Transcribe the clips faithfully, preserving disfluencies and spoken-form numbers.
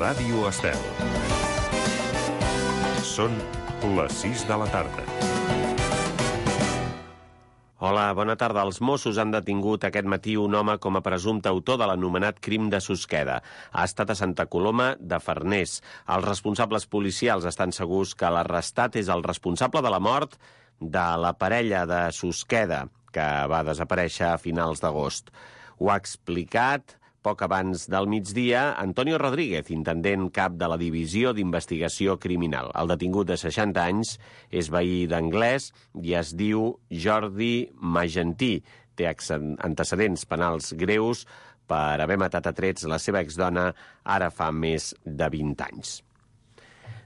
Ràdio Estel. Són les sis de la tarda. Hola, bona tarda. Els Mossos han detingut aquest matí un home com a presumpte autor de l'anomenat crim de Susqueda. Ha estat a Santa Coloma de Farners. Els responsables policials estan segurs que l'arrestat és el responsable de la mort de la parella de Susqueda, que va desaparèixer a finals d'agost. Ho ha explicat poc abans del migdia Antonio Rodríguez, intendent cap de la Divisió d'Investigació Criminal. El detingut de seixanta anys és veí d'Anglès i es diu Jordi Magentí. Té antecedents penals greus per haver matat a trets la seva exdona ara fa més de vint anys.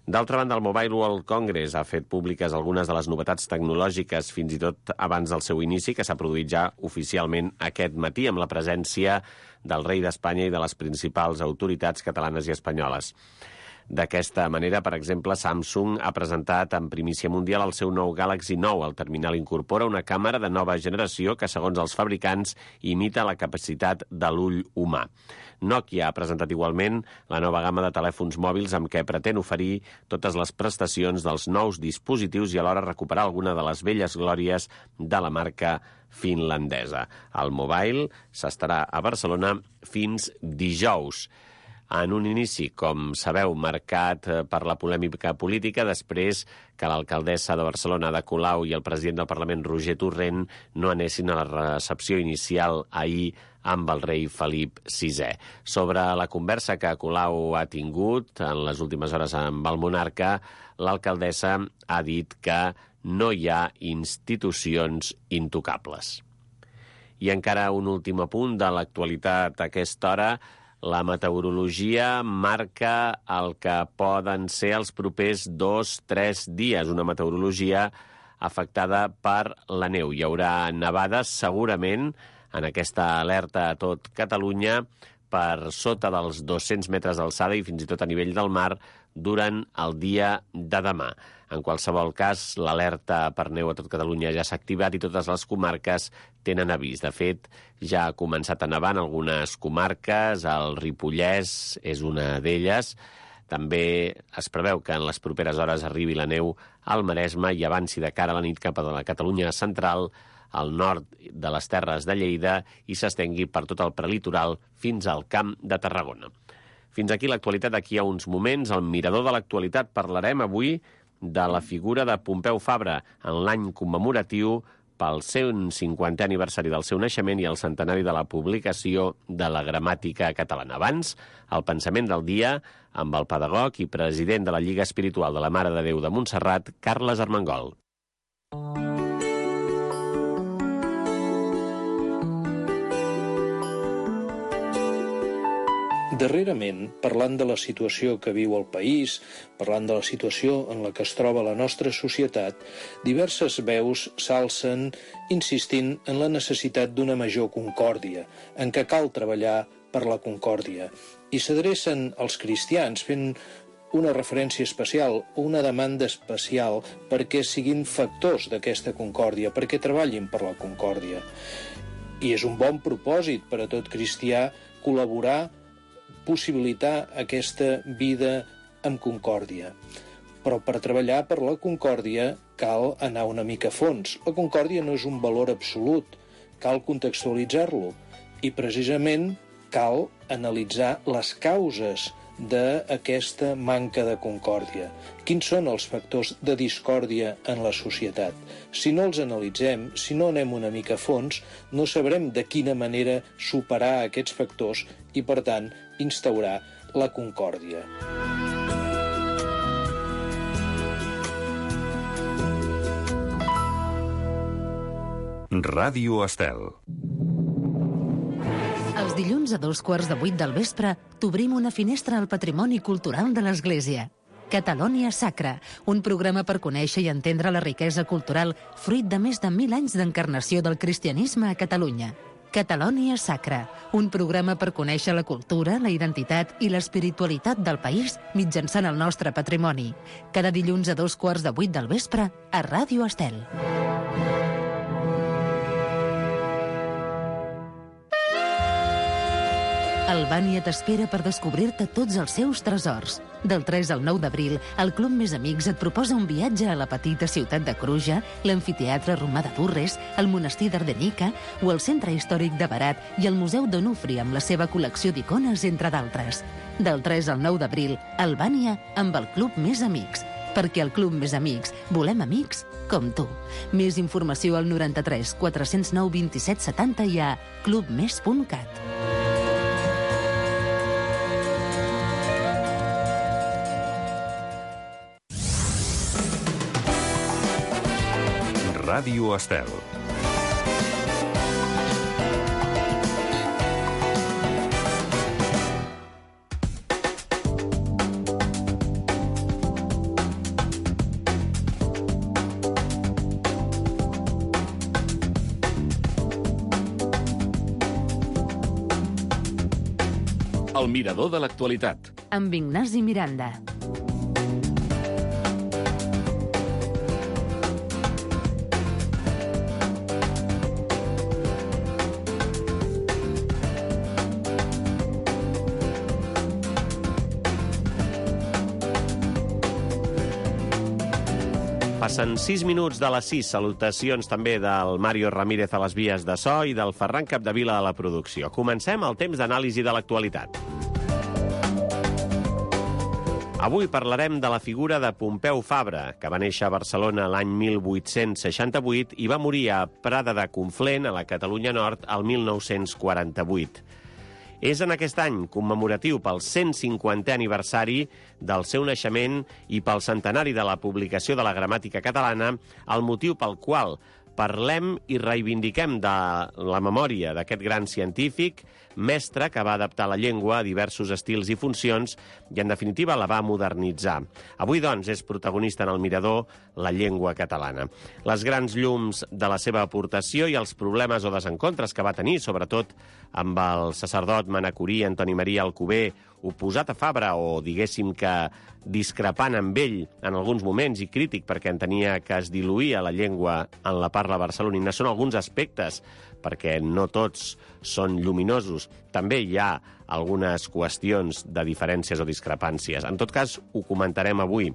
D'altra banda, el Mobile World Congress ha fet públiques algunes de les novetats tecnològiques fins i tot abans del seu inici, que s'ha produït ja oficialment aquest matí amb la presència del rei d'Espanya i de les principals autoritats catalanes i espanyoles. D'aquesta manera, per exemple, Samsung ha presentat en primícia mundial el seu nou Galaxy nou. El terminal incorpora una càmera de nova generació que, segons els fabricants, imita la capacitat de l'ull humà. Nokia ha presentat igualment la nova gamma de telèfons mòbils amb què pretén oferir totes les prestacions dels nous dispositius i alhora recuperar alguna de les velles glòries de la marca finlandesa. El Mobile s'estarà a Barcelona fins dijous. En un inici, com sabeu, marcat per la polèmica política, després que l'alcaldessa de Barcelona, Ada Colau, i el president del Parlament, Roger Torrent, no anessin a la recepció inicial ahir amb el rei Felip sisè. Sobre la conversa que Colau ha tingut en les últimes hores amb el monarca, l'alcaldessa ha dit que no hi ha institucions intocables. I encara un últim apunt de l'actualitat a aquesta hora. La meteorologia marca el que poden ser els propers dos o tres dies, una meteorologia afectada per la neu. Hi haurà nevades segurament en aquesta alerta a tot Catalunya per sota dels dos-cents metres d'alçada i fins i tot a nivell del mar durant el dia de demà. En qualsevol cas, l'alerta per neu a tot Catalunya ja s'ha activat i totes les comarques tenen avís. De fet, ja ha començat a nevar en algunes comarques, el Ripollès és una d'elles. També es preveu que en les properes hores arribi la neu al Maresme i avanci de cara a la nit cap a la Catalunya central, al nord de les Terres de Lleida i s'estengui per tot el prelitoral fins al Camp de Tarragona. Fins aquí l'actualitat. D'aquí a uns moments, al Mirador de l'Actualitat, parlarem avui de la figura de Pompeu Fabra en l'any commemoratiu pel cent cinquantè aniversari del seu naixement i el centenari de la publicació de la gramàtica catalana. Abans, el pensament del dia amb el pedagog i president de la Lliga Espiritual de la Mare de Déu de Montserrat, Carles Armengol. Darrerament, parlant de la situació que viu el país, parlant de la situació en la que es troba la nostra societat, diverses veus s'alcen insistint en la necessitat d'una major concòrdia, en què cal treballar per la concòrdia. I s'adrecen als cristians fent una referència especial o una demanda especial perquè siguin factors d'aquesta concòrdia, perquè treballin per la concòrdia. I és un bon propòsit per a tot cristià col·laborar, possibilitar aquesta vida amb concòrdia. Però per treballar per la concòrdia cal anar una mica a fons. La concòrdia no és un valor absolut, cal contextualitzar-lo i precisament cal analitzar les causes d'aquesta manca de concòrdia. Quins són els factors de discòrdia en la societat? Si no els analitzem, si no anem una mica a fons, no sabrem de quina manera superar aquests factors i, per tant, instaurar la concòrdia. Ràdio Estel. Els dilluns a dos quarts de vuit del vespre t'obrim una finestra al patrimoni cultural de l'Església. Catalonia Sacra, un programa per conèixer i entendre la riquesa cultural fruit de més de mil anys d'encarnació del cristianisme a Catalunya. Catalonia Sacra, un programa per conèixer la cultura, la identitat i l'espiritualitat del país mitjançant el nostre patrimoni. Cada dilluns a dos quarts de vuit del vespre a Ràdio Estel. Albània t'espera per descobrir-te tots els seus tresors. Del tres al nou d'abril, el Club Més Amics et proposa un viatge a la petita ciutat de Kruja, l'amfiteatre romà de Durres, el monestir d'Ardenica o el centre històric de Berat i el Museu d'Onufri amb la seva col·lecció d'icones, entre d'altres. Del tres al nou d'abril, Albània amb el Club Més Amics. Perquè al Club Més Amics volem amics com tu. Més informació al noranta-tres quatre-cents nou vint-i-set setanta i a clubmes punt cat. Ràdio Estel. El mirador de l'actualitat. Amb Ignasi Miranda. Passen sis minuts de les sis. Salutacions també del Mario Ramírez a les vies de so i del Ferran Capdevila a la producció. Comencem el temps d'anàlisi de l'actualitat. Avui parlarem de la figura de Pompeu Fabra, que va néixer a Barcelona l'any mil vuit-cents seixanta-vuit i va morir a Prada de Conflent, a la Catalunya Nord, el mil nou-cents quaranta-vuit. És en aquest any commemoratiu pel cent cinquantè aniversari del seu naixement i pel centenari de la publicació de la gramàtica catalana, el motiu pel qual parlem i reivindiquem de la memòria d'aquest gran científic, mestre que va adaptar la llengua a diversos estils i funcions i, en definitiva, la va modernitzar. Avui, doncs, és protagonista en el mirador la llengua catalana. Les grans llums de la seva aportació i els problemes o desencontres que va tenir, sobretot amb el sacerdot manacorí Antoni Maria Alcover, oposat a Fabra o, diguéssim que, discrepant amb ell en alguns moments i crític perquè entenia que es diluïa la llengua en la parla barcelonina. Són alguns aspectes, perquè no tots són lluminosos. També hi ha algunes qüestions de diferències o discrepàncies. En tot cas, ho comentarem avui,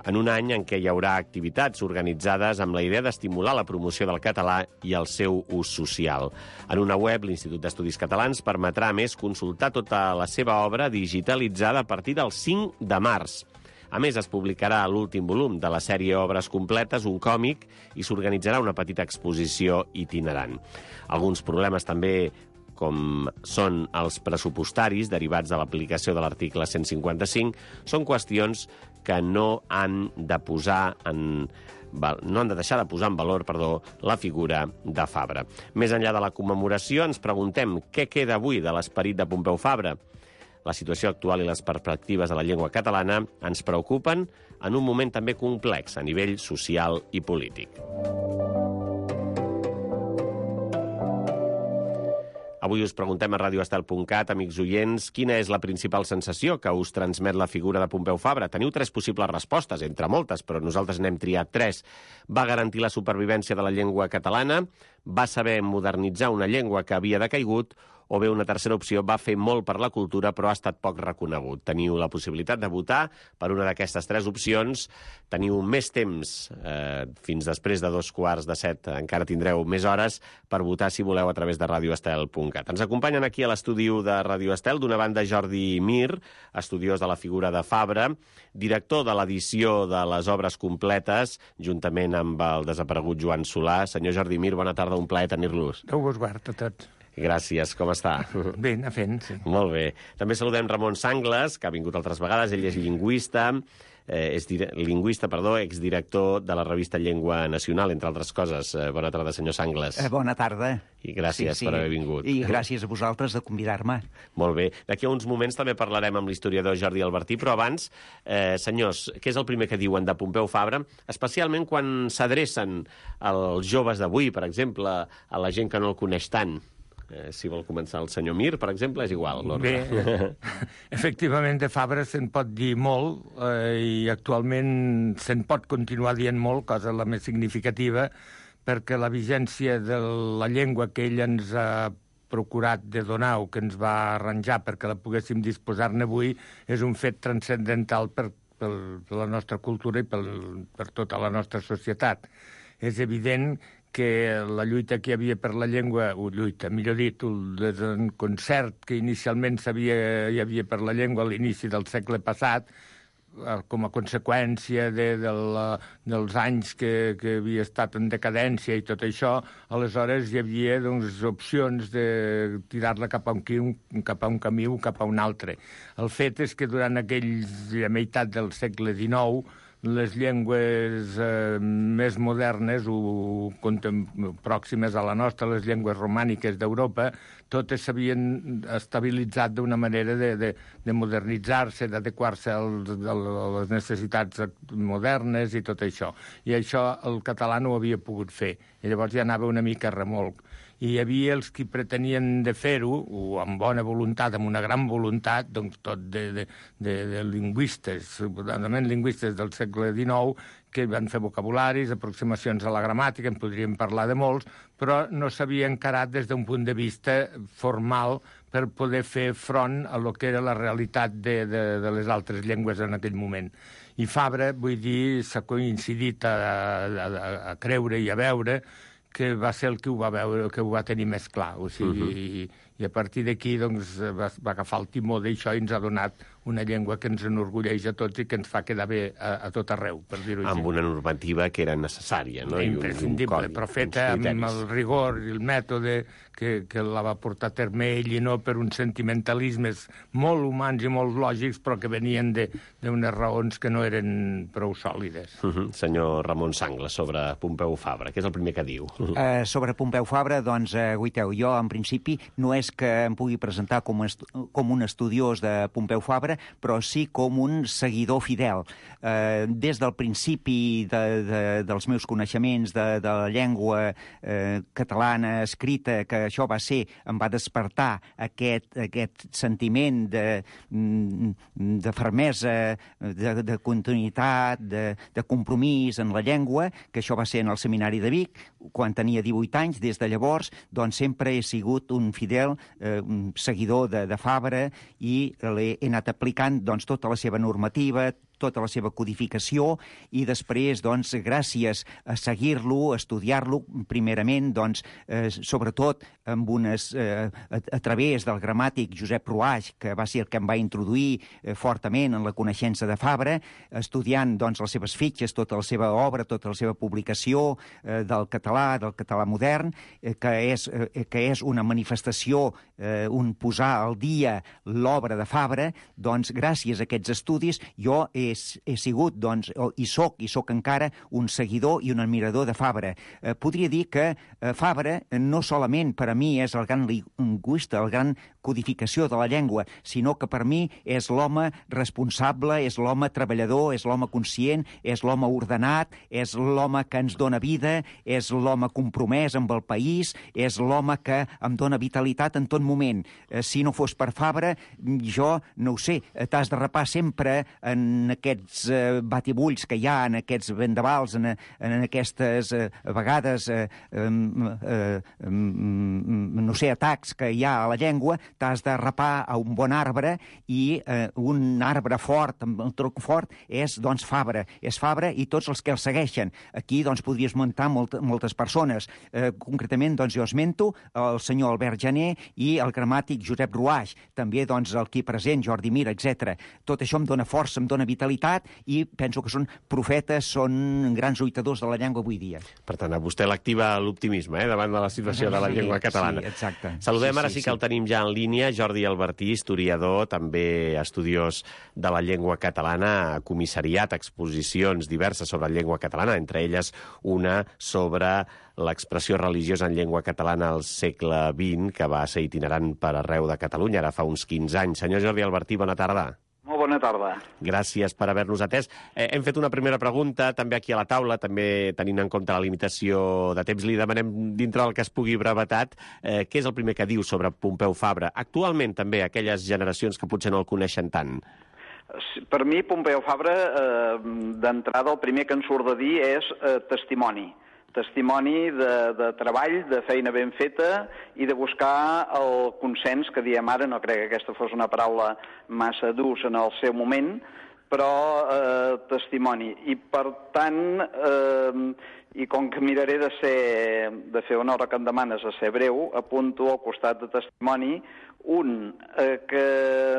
en un any en què hi haurà activitats organitzades amb la idea d'estimular la promoció del català i el seu ús social. En una web, l'Institut d'Estudis Catalans permetrà, a més, consultar tota la seva obra digitalitzada a partir del cinc de març. A més, es publicarà l'últim volum de la sèrie Obres Completes, un còmic, i s'organitzarà una petita exposició itinerant. Alguns problemes també, com són els pressupostaris derivats de l'aplicació de l'article cent cinquanta-cinc, són qüestions que no han de posar en no han de deixar de posar en valor, perdó, la figura de Fabra. Més enllà de la commemoració, ens preguntem què queda avui de l'esperit de Pompeu Fabra. La situació actual i les perspectives de la llengua catalana ens preocupen en un moment també complex a nivell social i polític. Avui us preguntem a radio estel punt cat, amics oients, quina és la principal sensació que us transmet la figura de Pompeu Fabra. Teniu tres possibles respostes, entre moltes, però nosaltres n'hem triat tres. Va garantir la supervivència de la llengua catalana, va saber modernitzar una llengua que havia decaigut, o bé una tercera opció, va fer molt per la cultura però ha estat poc reconegut. Teniu la possibilitat de votar per una d'aquestes tres opcions. Teniu més temps, eh, fins després de dos quarts de set, encara tindreu més hores per votar si voleu a través de radio estel punt cat. Ens acompanyen aquí a l'estudi de Radio Estel, d'una banda Jordi Mir, estudiós de la figura de Fabra, director de l'edició de les obres completes, juntament amb el desaparegut Joan Solà. Senyor Jordi Mir, bona tarda, un plaer tenir-los. Déu vos guard a tots. Gràcies, com està? Bé, anar fent, sí. Molt bé. També saludem Ramon Sangles, que ha vingut altres vegades. Ell és lingüista, eh, és dire... lingüista, perdó, exdirector de la revista Llengua Nacional, entre altres coses. Eh, bona tarda, senyor Sangles. Eh, bona tarda. I gràcies sí, sí. per haver vingut. I gràcies a vosaltres de convidar-me. Molt bé. D'aquí a uns moments també parlarem amb l'historiador Jordi Albertí, però abans, eh, senyors, què és el primer que diuen de Pompeu Fabra? Especialment quan s'adrecen als joves d'avui, per exemple, a la gent que no el coneix tant. Eh, si vol començar el senyor Mir, per exemple, és igual. Bé, efectivament, de Fabra se'n pot dir molt eh, i actualment se'n pot continuar dient molt, cosa la més significativa, perquè la vigència de la llengua que ell ens ha procurat de donar o que ens va arranjar perquè la poguéssim disposar-ne avui és un fet transcendental per, per, per la nostra cultura i per, per tota la nostra societat. És evident que la lluita que hi havia per la llengua, o lluita, millor dit, el desconcert que inicialment havia, hi havia per la llengua a l'inici del segle passat, com a conseqüència de, de la, dels anys que, que havia estat en decadència i tot això, aleshores hi havia doncs, opcions de tirar-la cap a un, cap a un camí o cap a un altre. El fet és que durant aquells, la meitat del segle dinou, les llengües eh, més modernes o pròximes a la nostra, les llengües romàniques d'Europa, totes s'havien estabilitzat d'una manera de, de, de modernitzar-se, d'adequar-se a les necessitats modernes i tot això. I això el català no ho havia pogut fer. I llavors ja anava una mica a remolc. I hi havia els que pretenien de fer-ho, o amb bona voluntat, amb una gran voluntat, doncs tot de, de, de, de lingüistes, suposadament lingüistes del segle dinou, que van fer vocabularis, aproximacions a la gramàtica, en podríem parlar de molts, però no s'havia encarat des d'un punt de vista formal per poder fer front a lo que era la realitat de, de, de les altres llengües en aquell moment. I Fabra, vull dir, s'ha coincidit a, a, a creure i a veure que va ser el que ho va veure, que ho va tenir més clar. O sigui, uh-huh. i, i a partir d'aquí doncs, va, va agafar el timó d'això i ens ha donat una llengua que ens enorgulleix a tots i que ens fa quedar bé a, a tot arreu, per dir-ho així. Amb una normativa que era necessària, no? Imprescindible, però feta amb el rigor i el mètode que, que la va portar a terme ell i no per uns sentimentalismes molt humans i molt lògics, però que venien d'unes raons que no eren prou sòlides. Uh-huh. Senyor Ramon Sangla, sobre Pompeu Fabra, què és el primer que diu? Uh-huh. Uh, sobre Pompeu Fabra, doncs, uh, guaiteu, jo en principi no és que em pugui presentar com, com un estudiós de Pompeu Fabra, però sí com un seguidor fidel. Eh, des del principi de, de, dels meus coneixements de, de la llengua eh, catalana escrita, que això va ser, em va despertar aquest, aquest sentiment de, de fermesa, de, de continuïtat, de, de compromís en la llengua, que això va ser en el Seminari de Vic, quan tenia divuit anys. Des de llavors, doncs, sempre he sigut un fidel eh, un seguidor de, de Fabra i l'he anat aplicant doncs, tota la seva normativa, tota la seva codificació, i després, doncs, gràcies a seguir-lo, a estudiar-lo, primerament, doncs, eh, sobretot amb unes, eh, a, a través del gramàtic Josep Ruaix, que va ser el que em va introduir eh, fortament en la coneixença de Fabra, estudiant, doncs, les seves fitxes, tota la seva obra, tota la seva publicació eh, del català, del català modern, eh, que, és, eh, que és una manifestació, eh, un posar al dia l'obra de Fabra. Doncs, gràcies a aquests estudis, jo he he sigut, doncs, i soc, i soc encara un seguidor i un admirador de Fabra. Eh, podria dir que eh, Fabra no solament per a mi és el gran lingüista, el gran codificació de la llengua, sinó que per mi és l'home responsable, és l'home treballador, és l'home conscient, és l'home ordenat, és l'home que ens dona vida, és l'home compromès amb el país, és l'home que em dona vitalitat en tot moment. Eh, si no fos per Fabra, jo, no ho sé, t'has de rapar sempre en aquests eh, batibulls que hi ha, en aquests vendavals, en, en aquestes eh, vegades, eh, eh, eh, no sé, atacs que hi ha a la llengua. T'has de rapar a un bon arbre, i eh, un arbre fort, amb un tronc fort, és, doncs, Fabra. És Fabra i tots els que el segueixen. Aquí, doncs, podries muntar molt, moltes persones. Eh, concretament, doncs, jo esmento el senyor Albert Janer i el gramàtic Josep Ruaix. També, doncs, el aquí present, Jordi Mir, etcètera. Tot això em dona força, em dona vitalitat, i penso que són profetes, són grans lluitadors de la llengua avui dia. Per tant, a vostè l'activa l'optimisme, eh, davant de la situació de la llengua catalana. Sí, exacte. Saludem sí, ara, sí, sí que el tenim ja en línia, Jordi Albertí, historiador, també estudiós de la llengua catalana, ha comissariat exposicions diverses sobre la llengua catalana, entre elles una sobre l'expressió religiosa en llengua catalana al segle vint, que va ser itinerant per arreu de Catalunya, ara fa uns quinze anys. Senyor Jordi Albertí, bona tarda. Molt bona tarda. Gràcies per haver-nos atès. Eh, hem fet una primera pregunta, també aquí a la taula, també tenint en compte la limitació de temps. Li demanem, dintre del que es pugui brevetat, eh, què és el primer que diu sobre Pompeu Fabra? Actualment, també, aquelles generacions que potser no el coneixen tant. Per mi, Pompeu Fabra, eh, d'entrada, el primer que en surt de dir és eh, testimoni. testimoni de, de treball, de feina ben feta i de buscar el consens, que diem ara, no crec que aquesta fos una paraula massa d'ús en el seu moment, però eh, testimoni. I per tant, eh, i com que miraré de, ser, de fer honor a que em demanes a ser breu, apunto al costat de testimoni un, eh, que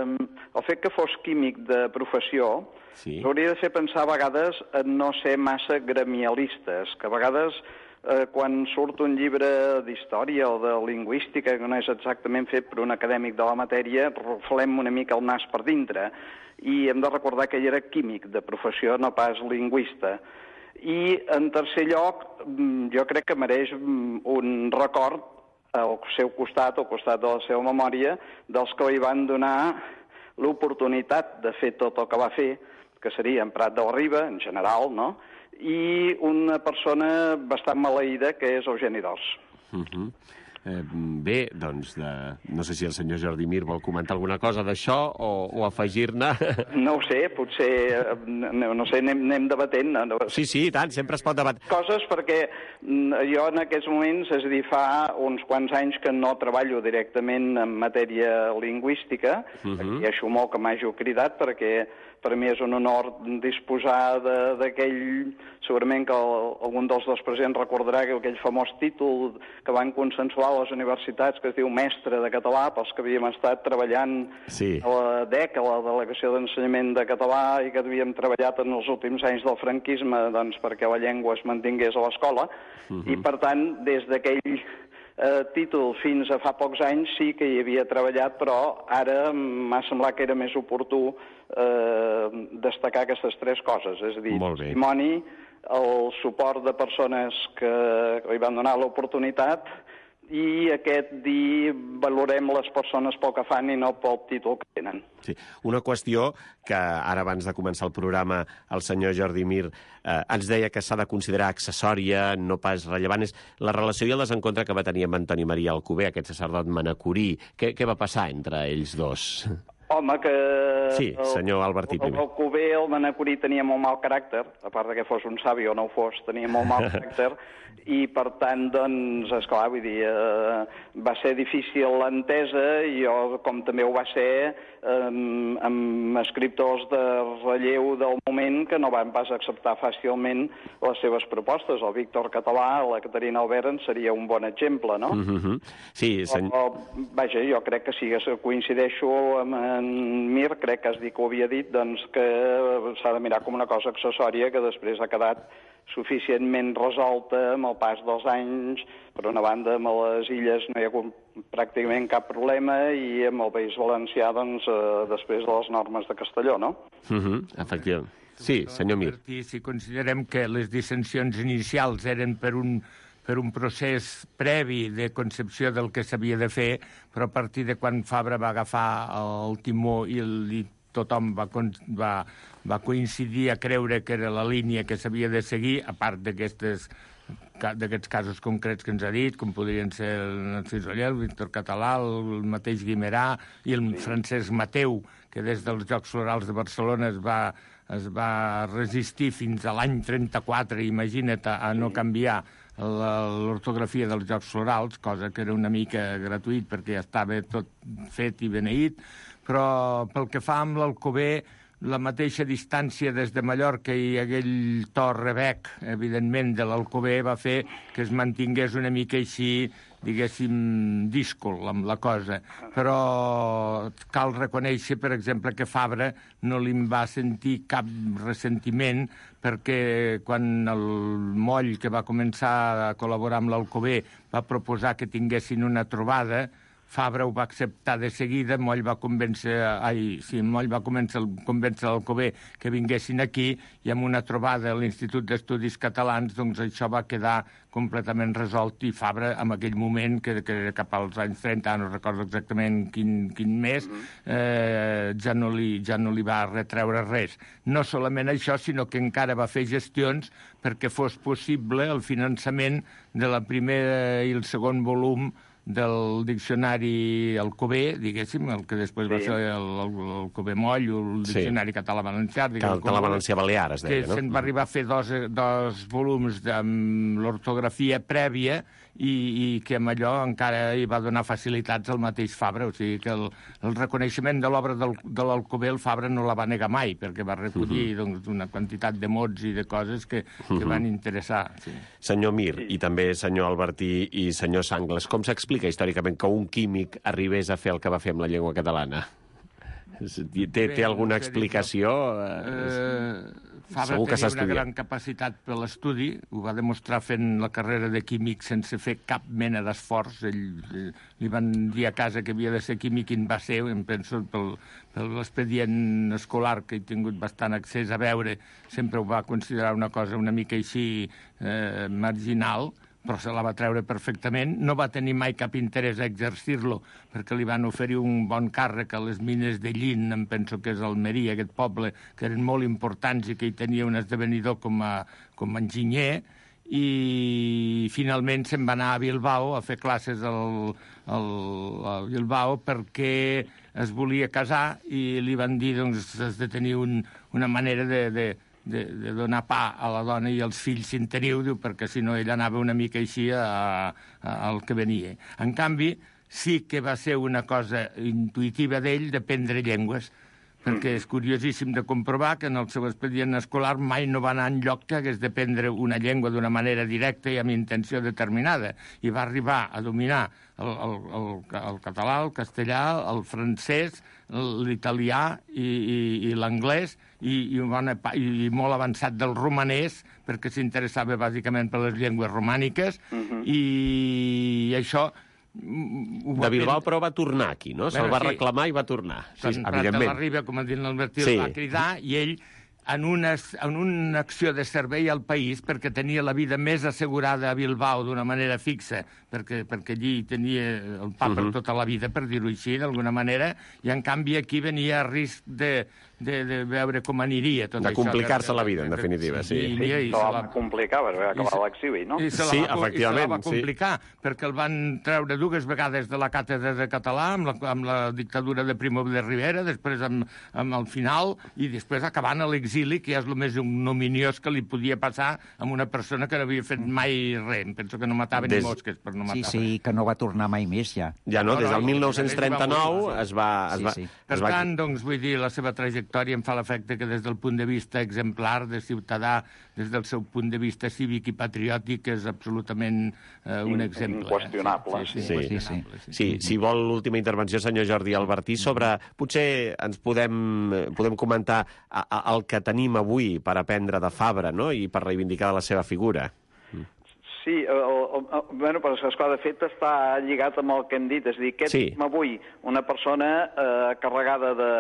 el fet que fos químic de professió sí. hauria de fer pensar a vegades en no ser massa gremialistes, que a vegades eh, quan surt un llibre d'història o de lingüística que no és exactament fet per un acadèmic de la matèria, ruflem una mica el nas per dintre, i hem de recordar que ell era químic de professió, no pas lingüista. I, en tercer lloc, jo crec que mereix un record al seu costat, al costat de la seva memòria, dels que li van donar l'oportunitat de fer tot el que va fer, que seria en Prat de la Riba, en general, no?, i una persona bastant maleïda, que és Eugeni d'Ors. Uh-huh. Eh, bé, doncs, de... no sé si el senyor Jordi Mir vol comentar alguna cosa d'això o, o afegir-ne. No ho sé, potser, no, no sé, anem, anem debatent. No? Sí, sí, i tant, sempre es pot debatre. Coses perquè jo en aquests moments, és a dir, fa uns quants anys que no treballo directament en matèria lingüística, uh-huh. i això molt que m'hagi cridat, perquè per mi és un honor disposar d'aquell, segurament que el, algun dels dos presents recordarà que aquell famós títol que van consensuar a les universitats, que es diu mestre de català, pels que havíem estat treballant sí. a la D E C, a la Delegació d'Ensenyament de Català, i que havíem treballat en els últims anys del franquisme doncs, perquè la llengua es mantingués a l'escola, uh-huh. i per tant, des d'aquell Eh, títol fins a fa pocs anys sí que hi havia treballat, però ara m'ha semblat que era més oportú eh, destacar aquestes tres coses, és a dir, testimoni, el suport de persones que li van donar l'oportunitat i aquest dir valorem les persones pel que fan i no pel títol que tenen. Sí. Una qüestió que ara abans de començar el programa el senyor Jordi Mir eh, ens deia que s'ha de considerar accessòria, no pas rellevant, és la relació i el desencontre que va tenir amb Antoni Maria Alcover, aquest sacerdot manacorí. Què, què va passar entre ells dos? Home, que... Sí, senyor Albertí primer. El Alcover, el manacorí, tenia molt mal caràcter, a part que fos un savi o no ho fos, tenia molt mal caràcter, i per tant, doncs, esclar, vull dir, eh, va ser difícil l'entesa, i jo, com també ho va ser, eh, amb escriptors de relleu del moment que no van pas acceptar fàcilment les seves propostes. El Víctor Català, la Caterina Albert, en seria un bon exemple, no? Uh-huh. Sí, senyor... O, vaja, jo crec que sí, que coincideixo amb en Mir, crec que has dit que ho havia dit, doncs que s'ha de mirar com una cosa accessòria que després ha quedat suficientment resolta amb el pas dels anys. Per una banda, amb les illes no hi ha pràcticament cap problema, i amb el País Valencià, doncs, eh, després de les normes de Castelló, no? Uh-huh. Efectivament. Sí, senyor Mir. Si considerem que les dissensions inicials eren per un per un procés previ de concepció del que s'havia de fer, però a partir de quan Fabra va agafar el timó i, el, i tothom va, va, va coincidir a creure que era la línia que s'havia de seguir, a part d'aquestes d'aquests casos concrets que ens ha dit, com podrien ser el Narcís Oller, el Víctor Català, el mateix Guimerà i el Francesc Mateu, que des dels Jocs Florals de Barcelona es va, es va resistir fins a l'any trenta-quatre, imagina't, a no canviar l'ortografia dels Jocs Florals, cosa que era una mica gratuït perquè ja estava tot fet i beneït, però pel que fa amb l'Alcover, la mateixa distància des de Mallorca i aquell to rebec, evidentment, de l'Alcover va fer que es mantingués una mica així, diguéssim, díscol amb la cosa. Però cal reconèixer, per exemple, que Fabra no li va sentir cap ressentiment, perquè quan el Moll, que va començar a col·laborar amb l'Alcover, va proposar que tinguessin una trobada, Fabra ho va acceptar de seguida, Moll va convèncer, ai, sí, Moll va convèncer, convèncer l'Alcover que vinguessin aquí, i amb una trobada a l'Institut d'Estudis Catalans, doncs això va quedar completament resolt, i Fabra, en aquell moment, que, que era cap als anys trenta, no recordo exactament quin, quin mes, eh, ja, no li, ja no li va retreure res. No solament això, sinó que encara va fer gestions perquè fos possible el finançament de la primera i el segon volum del diccionari Alcover, diguéssim, el que després sí. va ser el, el, el Alcover Moll, el diccionari sí. català-valencià. Català-valencià-balear, es deia, que no? se'n va arribar a fer dos, dos volums amb l'ortografia prèvia i, i que amb allò encara hi va donar facilitats al mateix Fabra. O sigui que el, el reconeixement de l'obra del, de l'Alcover, el Fabra no la va negar mai, perquè va recollir uh-huh. doncs, una quantitat de mots i de coses que, que uh-huh. van interessar. Sí. Senyor Mir, sí. i també senyor Albertí i senyor Sangles, com s'explica històricament que un químic arribés a fer el que va fer amb la llengua catalana? Té, té alguna explicació? Eh, Fabra Segur que tenia una gran capacitat per l'estudi, ho va demostrar fent la carrera de químic sense fer cap mena d'esforç. Ell, li van dir a casa que havia de ser químic i en va ser, em penso, pel, per l'expedient escolar que he tingut bastant accés a veure, sempre ho va considerar una cosa una mica així eh, marginal, però se la va treure perfectament. No va tenir mai cap interès a exercir-lo, perquè li van oferir un bon càrrec a les mines de Llin, em penso que és Almeria, aquest poble, que eren molt importants i que hi tenia un esdevenidor com a, com a enginyer, i finalment se'n va anar a Bilbao a fer classes al, al, a Bilbao perquè es volia casar i li van dir doncs, has de tenir un, una manera de... de De, de donar pa a la dona i als fills si en teniu, diu, perquè si no ell anava una mica així a, a, al que venia. En canvi, sí que va ser una cosa intuïtiva d'ell d'aprendre llengües, perquè és curiosíssim de comprovar que en el seu expedient escolar mai no va anar enlloc que hagués d'aprendre una llengua d'una manera directa i amb intenció determinada. I va arribar a dominar el, el, el, el català, el castellà, el francès, l'italià i, i, i l'anglès, i, i, bona, i molt avançat del romanès, perquè s'interessava bàsicament per les llengües romàniques, uh-huh. i això... De Bilbao, però va tornar aquí, no? Se'l va reclamar i va tornar. Sí, evidentment. Prat de la Riba, com ha dit l'Albertí, sí. el va cridar, i ell, en una, en una acció de servei al país, perquè tenia la vida més assegurada a Bilbao d'una manera fixa, perquè, perquè allí tenia el pa uh-huh. per tota la vida, per dir-ho així, d'alguna manera, i en canvi aquí venia a risc de, de, de veure com aniria tot de això. De complicar-se la vida, en definitiva, sí. I, i, i se la va complicar, perquè va acabar l'exili, no? I se la sí, va, efectivament. I se la va complicar, sí. perquè el van treure dues vegades de la càtedra de català, amb la, amb la dictadura de Primo de Rivera, després amb, amb el final, i després acabant a l'exili, que és el més ignominiós que li podia passar a una persona que no havia fet mai res. Em penso que no matava Des... ni mosques per no matar Sí, sí, res. Que no va tornar mai més, ja. Ja no, des del mil nou-cents trenta-nou es va... Es va, sí, sí. Per es va... tant, doncs, vull dir, la seva trajectòria em fa l'efecte que des del punt de vista exemplar, de ciutadà, des del seu punt de vista cívic i patriòtic, és absolutament eh, un exemple. Inqüestionable. Eh? Sí, sí, sí, inqüestionable, sí, sí. sí, si vol l'última intervenció, senyor Jordi Albertí, sobre... Potser ens podem, podem comentar a, a, el que tenim avui per aprendre de Fabra, no?, i per reivindicar la seva figura. Sí, el, el, el, bueno, però esclar, de fet està lligat amb el que hem dit, és a dir, què sí. tenim avui? Una persona eh, carregada de,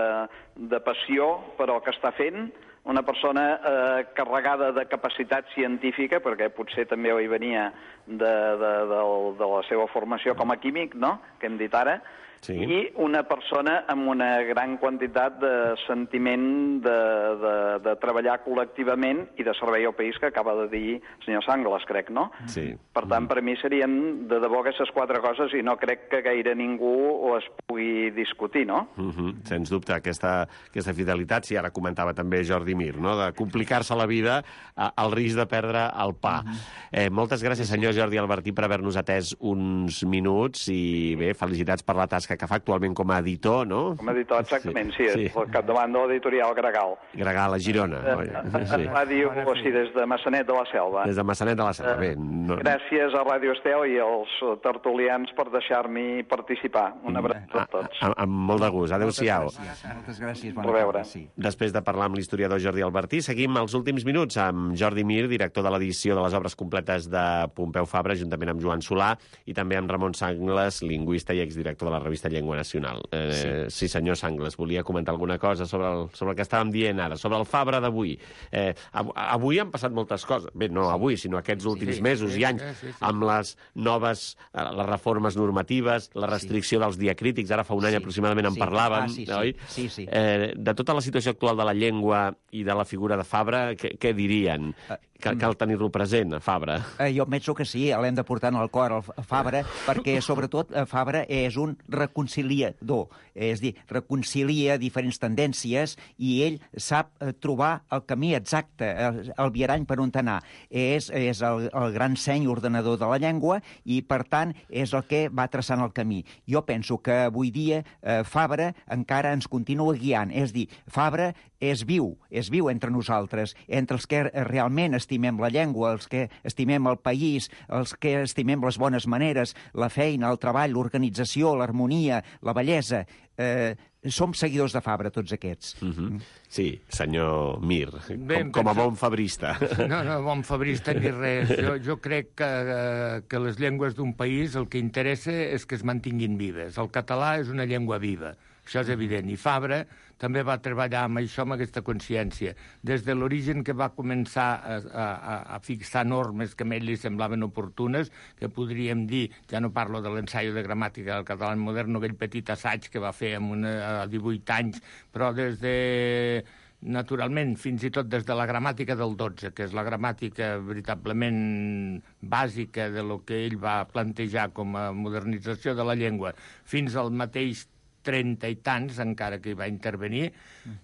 de passió per al que està fent, una persona eh, carregada de capacitat científica, perquè potser també hi venia de, de, de, de la seva formació com a químic, no?, que hem dit ara, sí. i una persona amb una gran quantitat de sentiment de, de, de treballar col·lectivament i de servei al país, que acaba de dir el senyor Sangles, crec, no? Sí. Per tant, per mi serien de debò aquestes quatre coses i no crec que gaire ningú o es pugui discutir, no? Uh-huh. Sens dubte, aquesta, aquesta fidelitat, si ara comentava també Jordi Mir, no?, de complicar-se la vida a, al risc de perdre el pa. Uh-huh. eh, moltes gràcies, senyor Jordi Albertí, per haver-nos atès uns minuts i, bé, felicitats per la tasca que fa actualment com a editor, no? Com a editor, exactament, sí, sí. sí. Al capdavant de l'editorial Gregal. Gregal, a Girona. Eh, sí. Ràdio, o sigui, des de Massanet de la Selva. Des de Massanet de la Selva, bé. No... Gràcies a Ràdio Estel i als tertulians per deixar-m'hi participar. Un abraç a tots. A, a, amb molt de gust. Adéu-siau. Moltes gràcies. Bona tarda. Sí. Després de parlar amb l'historiador Jordi Albertí, seguim els últims minuts amb Jordi Mir, director de l'edició de les obres completes de Pompeu Fabra, juntament amb Joan Solà, i també amb Ramon Sangles, lingüista i exdirector de la revista Llengua Nacional. Eh, sí. sí, senyor Sangles, volia comentar alguna cosa sobre el, sobre el que estàvem dient ara, sobre el Fabra d'avui. Eh, avui han passat moltes coses, bé, no avui, sinó aquests últims sí, mesos sí, i anys, sí, sí, sí. amb les noves, les reformes normatives, la restricció sí. dels diacrítics, ara fa un any sí. aproximadament en sí. parlàvem, ah, sí, sí. oi? Sí, sí. Eh, de tota la situació actual de la llengua i de la figura de Fabra, què, què dirien? cal, cal tenir-lo present, a Fabra. Eh, jo penso que sí, l'hem de portar en el cor, el Fabra, perquè, sobretot, Fabra és un reconciliador. És a dir, reconcilia diferents tendències i ell sap eh, trobar el camí exacte, el, el viarany per on anar. És, és el, el gran seny ordenador de la llengua i, per tant, és el que va traçant el camí. Jo penso que avui dia eh, Fabra encara ens continua guiant. És a dir, Fabra és viu, és viu entre nosaltres, entre els que realment estimem la llengua, els que estimem el país, els que estimem les bones maneres, la feina, el treball, l'organització, l'harmonia, la bellesa. Eh, som seguidors de Fabra, tots aquests. Mm-hmm. Sí, senyor Mir, Bé, com, com a penso... bon fabrista. No, no, bon fabrista ni res. Jo, jo crec que, que les llengües d'un país el que interessa és que es mantinguin vives. El català és una llengua viva, això és evident. I Fabra també va treballar amb això, amb aquesta consciència. Des de l'origen que va començar a, a, a fixar normes que a ell li semblaven oportunes, que podríem dir, ja no parlo de l'ensaio de gramàtica del català modern, aquell petit assaig que va fer amb una, a divuit anys, però des de... naturalment, fins i tot des de la gramàtica del dotze, que és la gramàtica veritablement bàsica de lo que ell va plantejar com a modernització de la llengua, fins al mateix trenta i tants, encara que hi va intervenir,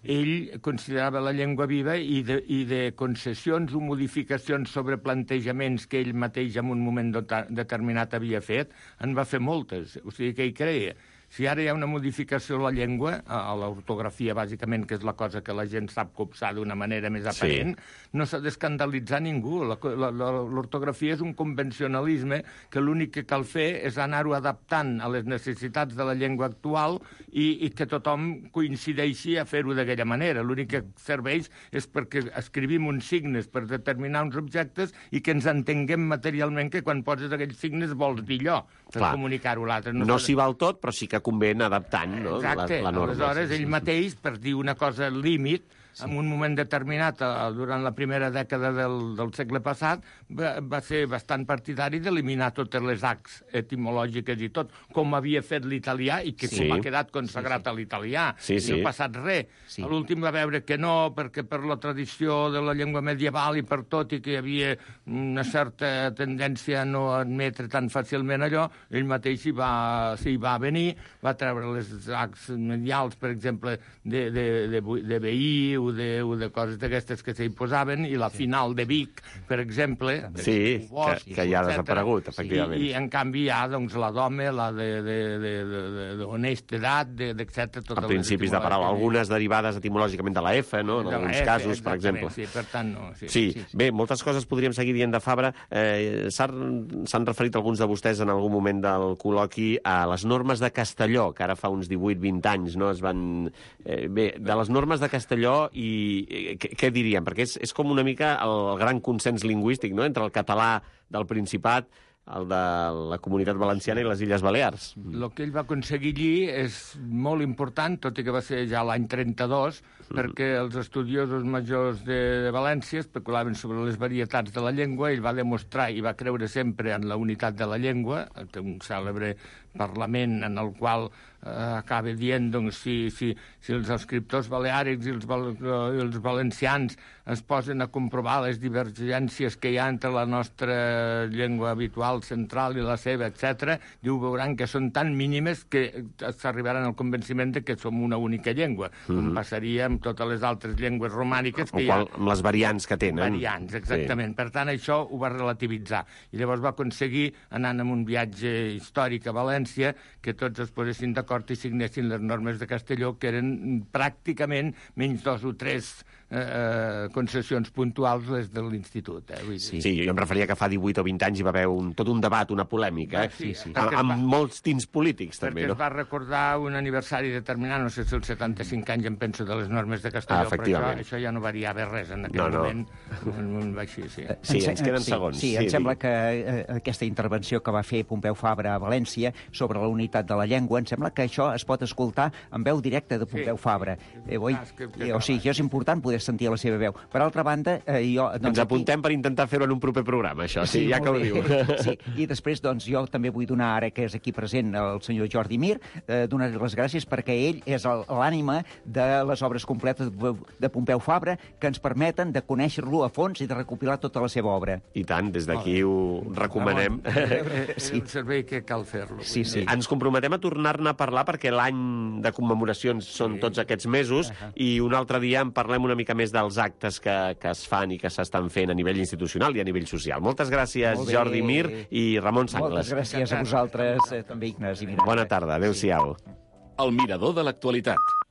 ell considerava la llengua viva i de, i de concessions o modificacions sobre plantejaments que ell mateix en un moment determinat havia fet, en va fer moltes. O sigui, que hi creia. Si ara hi ha una modificació a la llengua, a l'ortografia, bàsicament, que és la cosa que la gent sap copsar d'una manera més aparent, sí. No s'ha d'escandalitzar ningú. L'ortografia és un convencionalisme que l'únic que cal fer és anar-ho adaptant a les necessitats de la llengua actual i, i que tothom coincideixi a fer-ho d'aquella manera. L'únic que serveix és perquè escrivim uns signes per determinar uns objectes i que ens entenguem materialment que quan poses aquells signes vols dir allò, per comunicar-ho a l'altre. No, no s'hi val tot, però sí que convé anar adaptant, no? Exacte. La, la norma. Aleshores, ell mateix, per dir una cosa límit, sí. En un moment determinat, durant la primera dècada del, del segle passat, va, va ser bastant partidari d'eliminar totes les Hs etimològiques i tot, com havia fet l'italià i que sí. Com ha quedat consagrat sí, sí. a l'italià. Sí, sí. I no ha passat res. Sí. A l'últim va veure que no, perquè per la tradició de la llengua medieval i per tot, i que hi havia una certa tendència a no admetre tan fàcilment allò, ell mateix s'hi va, s'hi va venir, va treure les Hs medials, per exemple, de, de, de, de veí o de, o de coses d'aquestes que s'hi posaven, i la sí. final de Vic, per exemple, sí, Bosch, que, que ja ha desaparegut, efectivament. I, I en canvi hi ha doncs, la d'home, la d'honestedat, etcètera. A principis de paraula, algunes derivades etimològicament de la F, no? En de alguns F, casos, per exemple. Sí, per tant, no. Sí, sí. Sí, sí. Bé, moltes coses podríem seguir dient de Fabra. Eh, S'han referit alguns de vostès en algun moment del col·loqui a les normes de Castelló, que ara fa uns divuit vint anys, no? Es van... Eh, bé, de les normes de Castelló i què, què diríem? Perquè és, és com una mica el gran consens lingüístic, no?, entre el català del Principat, el de la Comunitat Valenciana i les Illes Balears. El que ell va aconseguir allí és molt important, tot i que va ser ja l'any trenta-dos, mm. perquè els estudiosos majors de, de València especulaven sobre les varietats de la llengua. Ell va demostrar i va creure sempre en la unitat de la llengua, té un cèlebre parlament en el qual eh, acaba dient doncs, si, si, si els escriptors baleàrics i els, val, i els valencians es posen a comprovar les divergències que hi ha entre la nostra llengua habitual central i la seva, etcètera, diu, veuran que són tan mínimes que s'arribaran al convenciment de que som una única llengua, mm-hmm. com passaria amb totes les altres llengües romàniques que hi ha. Amb les variants que tenen. Variants, exactament. Sí. Per tant, això ho va relativitzar. I llavors va aconseguir, anant en un viatge històric a València, que tots es posessin d'acord i signessin les normes de Castelló, que eren pràcticament menys dos o tres eh, concessions puntuals les de l'Institut. Eh? Vull dir. Sí. sí, jo em referia que fa divuit o vint anys hi va haver un, tot un debat, una polèmica, eh? Sí, sí. Amb, amb va, molts tints polítics, també, perquè no? Perquè es va recordar un aniversari determinat, no sé si els setanta-cinc anys, em penso, de les normes de Castelló, ah, però això, això ja no variava res en aquell no, no. moment. Així, sí, sí, ens queden sí, segons. Sí, sí, em sí, sembla que eh, aquesta intervenció que va fer Pompeu Fabra a València sobre la unitat de la llengua, em sembla que això es pot escoltar en veu directa de Pompeu sí. Fabra. Eh, oi, eh, o sigui, això és important poder poder sentir la seva veu. Per altra banda, eh, jo... Doncs, Ens apuntem aquí... per intentar fer-ho en un proper programa, això, sí, sí ja que ho diu. Sí, i després, doncs, jo també vull donar, ara que és aquí present el senyor Jordi Mir, eh, donar les gràcies perquè ell és l'ànima de les obres completes de Pompeu Fabra que ens permeten de conèixer-lo a fons i de recopilar tota la seva obra. I tant, des d'aquí ho recomanem. És un servei que cal fer-lo. Sí, sí. Ens comprometem a tornar-ne a parlar perquè l'any de commemoracions són tots aquests mesos i un altre dia en parlem una mica més dels actes que, que es fan i que s'estan fent a nivell institucional i a nivell social. Moltes gràcies, Jordi Mir i Ramon Sangles. Moltes gràcies a vosaltres, eh, també, Ignasi. Bona tarda, adéu-siau. El mirador de l'actualitat.